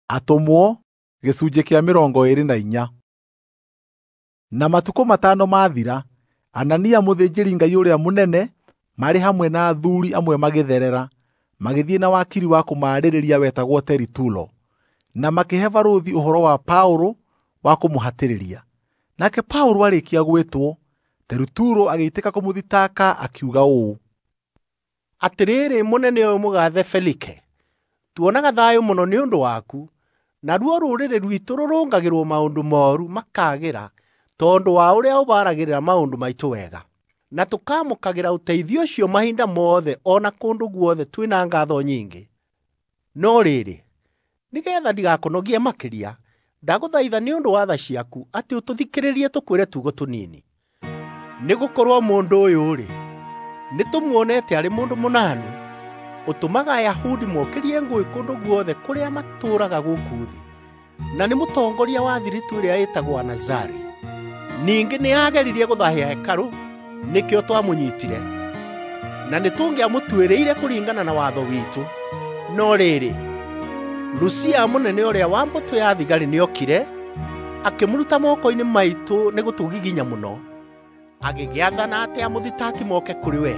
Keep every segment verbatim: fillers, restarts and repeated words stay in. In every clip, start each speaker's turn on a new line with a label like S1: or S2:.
S1: Atũmwo gĩcunjĩ kĩa mĩrongo ĩĩrĩ na inya. Na matukũ matano mathira, Anania mũthĩnjĩri-Ngai ũrĩa mũnene marĩ hamwe na athuuri amwe magĩtherera, magĩthiĩ na wakiri wa kũmaarĩrĩria wetagwo Teritulo, na makĩhe barũthi ũhoro wa Paũlũ wa kũmũhatĩrĩria. Nake Paũlũ arĩkia gwĩtwo, Teritulo agĩitĩka kũmũthitanga akiuga ũũ:
S2: Atĩrĩrĩ mũnene ũyũ mũgathe Felike, tuonaga thayũ mũno nĩ ũndũ waku, naruo rũrĩrĩ rwitũ rũrũngagĩrwo maũndũ mooru makaagĩra tondũ wa ũrĩa ũbaragĩrĩra maũndũ maitũ wega. Na tũkaamũkagĩra ũteithio ũcio mahinda mothe o na kũndũ guothe twĩna ngaatho nyingĩ. No rĩrĩ, nĩgeetha ndigakũnogie makĩria, ndagũthaitha nĩ ũndũ wa tha ciaku atĩ ũtũthikĩrĩrie tũkwĩre tuugo tũnini. Nĩgũkorwo mũndũ ũyũ-rĩ, nĩtũmuonete arĩ mũndũ mũnanu, ũtũmaga Ayahudi mokĩrie ngũĩ kũndũ guothe kũrĩa matũũraga gũkũ thĩ, na nĩ mũtongoria wa thiritũ ĩrĩa ĩtagwo Anazari. Ningĩ nĩageririe gũthaahia hekarũ, nĩkĩo twamũnyiitire. Na nĩtũngĩamũtuĩrĩire kũringana na watho witũ. No rĩrĩ, Lusia mũnene ũrĩa wa mbũtũ ya thigari nĩokire, akĩmũruta moko-inĩ maitũ nĩ gũtũgiginya mũno, agĩgĩathana atĩ amũthitaki moke kũrĩ we.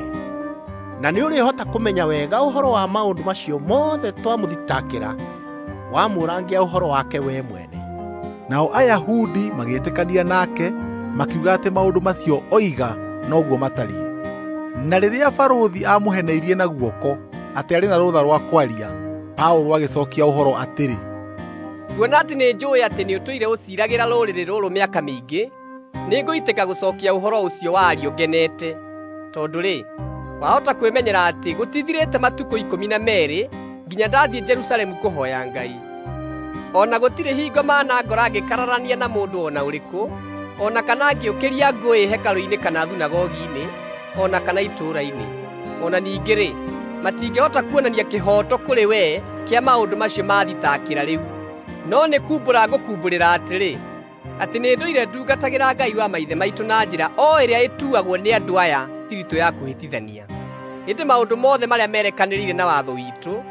S2: Na nĩũrĩhota kũmenya wega ũhoro wa maũndũ macio mothe twamũthitakĩra, wamũrangia ũhoro wake we mwene.
S1: Nao Ayahudi magĩtĩkania nake, makiuga atĩ maũndũ macio oiga noguo matariĩ. Na rĩrĩa barũthi aamũheneirie na guoko atĩ arĩ na rũtha rwa kwaria, Paũlũ agĩcookia ũhoro atĩrĩ,
S3: "Kuona atĩ nĩnjũũĩ atĩ nĩũtũire ũciiragĩra rũrĩrĩ rũrũ mĩaka mĩingĩ, nĩngũitĩka gũcookia ũhoro ũcio wario ngenete. Tondũ-rĩ, wahota kwĩmenyera atĩ gũtithirĩte matukũ ikũmi na meerĩ nginya ndathiĩ Jerusalemu kũhooya Ngai. O na gũtirĩ hingo manangora ngĩkararania na mũndũ o na ũrĩkũ, o na kana ngĩũkĩria ngũĩ hekarũ-inĩ kana thunagogi-inĩ, o na kana itũũra-inĩ. O na ningĩ-rĩ, matingĩhota kuonania kĩhooto kũrĩ we kĩa maũndũ macio maathitakĩra rĩu. No nĩ kumbũra ngũkumbũrĩra atĩrĩ, atĩ nĩndũire ndungatagĩra Ngai wa maithe maitũ na njĩra o ĩrĩa ĩtuagwo nĩ andũ aya thiritũ ya kũhĩtithania. Ĩndĩ maũndũ mothe marĩa merekanĩrĩire na watho witũ,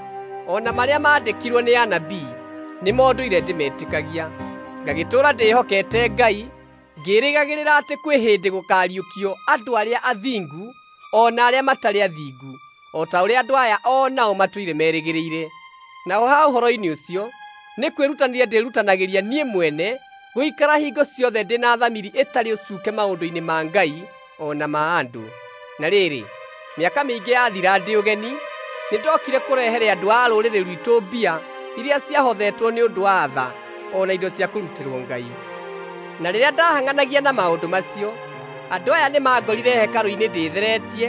S3: o na marĩa maandĩkirwo nĩ anabii, nĩmo ndũire ndĩmetĩkagia. Ngagĩtũũra ndĩhokete Ngai, ngĩĩrĩgagĩrĩra atĩ kwĩ hĩndĩ gũkaariũkio andũ arĩa athingu o na arĩa matarĩ athingu, o ta ũrĩa andũ aya o nao matũire merĩgĩrĩire. Naho ha ũhoro-inĩ ũcio, nĩ kwĩrutanĩria ndĩrutanagĩria niĩ mwene gũikara hingo ciothe ndĩ na thamiri ĩtarĩ ũcuuke maũndũ-inĩ ma Ngai o na ma andũ. Na rĩrĩ, mĩaka mĩingĩ yathira ndĩ ũgeni, nĩndokire kũrehere andũ a rũrĩrĩ rwitũ mbia iria ciahothetwo nĩ ũndũ wa tha o na indo cia kũrutĩrwo Ngai. Na rĩrĩa ndahang'anagia na maũndũ macio, andũ aya nĩmangorire hekarũ-inĩ ndĩtheretie,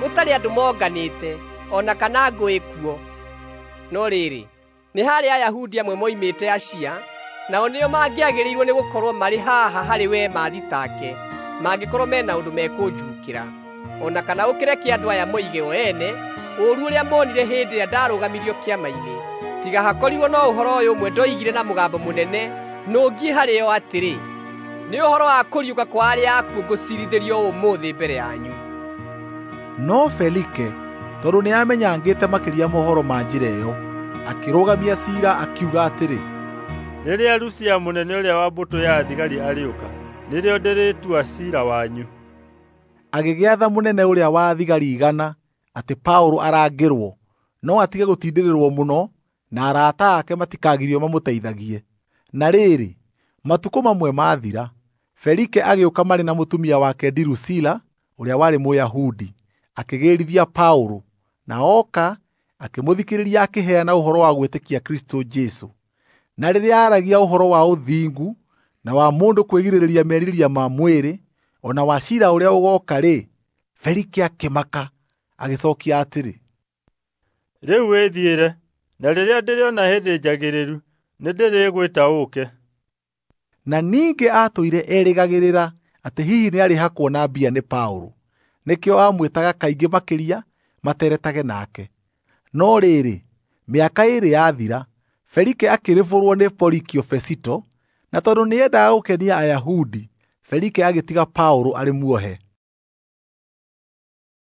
S3: gũtarĩ andũ monganĩte, o na kana ngũĩ kuo. No rĩrĩ, nĩ harĩ Ayahudi amwe moimĩte Asia, nao nĩo mangĩagĩrĩirwo nĩ gũkorwo marĩ haha harĩ we maathitake, mangĩkorwo mena ũndũ mekũnjuukĩra. O na kana ũkĩreke andũ aya moige o ene ũũru ũrĩa monire hĩndĩ ĩrĩa ndarũgamirio kĩama-inĩ. Tiga hakorirwo no ũhoro ũyũ ũmwe ndoigire na mũgambo mũnene nũngiĩ harĩ o atĩrĩ, nĩ ũhoro wa kũriũka kwa arĩa akuũ ngũciirithĩrio ũmũthĩ mbere yanyu."
S1: No Felike, tondũ nĩamenyangĩte makĩria mohoro ma njĩra ĩyo, akĩrũgamia ciira akiuga atĩrĩ,
S4: "Rĩrĩa Lusia mũnene ũrĩa wa mbũtũ ya thigari arĩũka, nĩrĩo ndĩrĩtua ciira wanyu."
S1: Agĩgĩatha mũnene ũrĩa wa thigari igana atĩ Paũlũ arangĩrwo, no atige gũtindĩrĩrwo mũno, na arata ake matikagirio mamũteithagie. Na rĩrĩ, matukũ mamwe mathira, Felike agĩũka marĩ na mũtumia wake Dirusila ũrĩa warĩ Mũyahudi, akĩgĩrithia Paũlũ, na oka akĩmũthikĩrĩria akĩheana ũhoro wa gwĩtĩkia Kristũ Jesũ. Na rĩrĩa aaragia ũhoro wa ũthingu na wa mũndũ kwĩgirĩrĩria merirĩria ma mwĩrĩ, o na wa ciira ũrĩa ũgooka-rĩ, Felike akĩmaka, agĩcookia atĩrĩ,
S4: "Rĩu wĩthiĩre, na rĩrĩa ndĩrĩona hĩndĩ njagĩrĩru, nĩndĩrĩgwĩta ũũke."
S1: Na ningĩ aatũire erĩgagĩrĩra atĩ hihi nĩarĩhakwo na mbia nĩ Paũlũ, nĩkĩo aamwĩtaga kaingĩ makĩria materetage nake. No rĩrĩ, mĩaka ĩĩrĩ yathira, Felike akĩrĩbũrwo nĩ Porikio Fesito, na tondũ nĩendaga gũkenia Ayahudi, Felike agĩtiga Paũlũ arĩ muohe.